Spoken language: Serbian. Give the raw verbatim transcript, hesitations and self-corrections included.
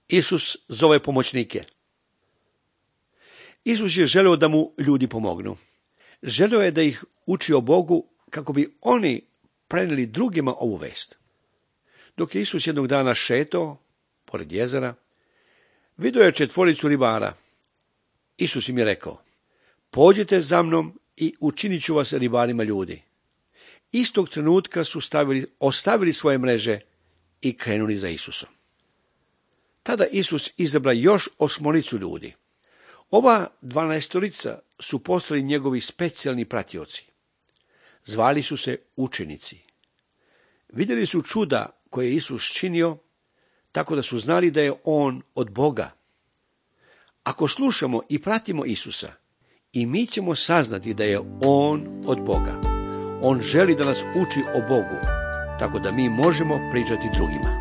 Isus zove pomoćnike. Isus je želeo da mu ljudi pomognu. Želeo je da ih uči o Bogu kako bi oni prenijeli drugima ovu vest. Dok je Isus jednog dana šetao pored jezera, vidio je četvoricu ribara. Isus im je rekao: pođite za mnom i učinit ću vas ribarima ljudi. Istog trenutka su stavili, ostavili svoje mreže i krenuli za Isusom. Tada Isus izabra još osmoricu ljudi. Ova dvanaestorica su postali njegovi specijalni pratioci. Zvali su se učenici. Vidjeli su čuda koje je Isus činio, tako da su znali da je on od Boga. Ako slušamo i pratimo Isusa, i mi ćemo saznati da je on od Boga. On želi da nas uči o Bogu, tako da mi možemo pričati drugima.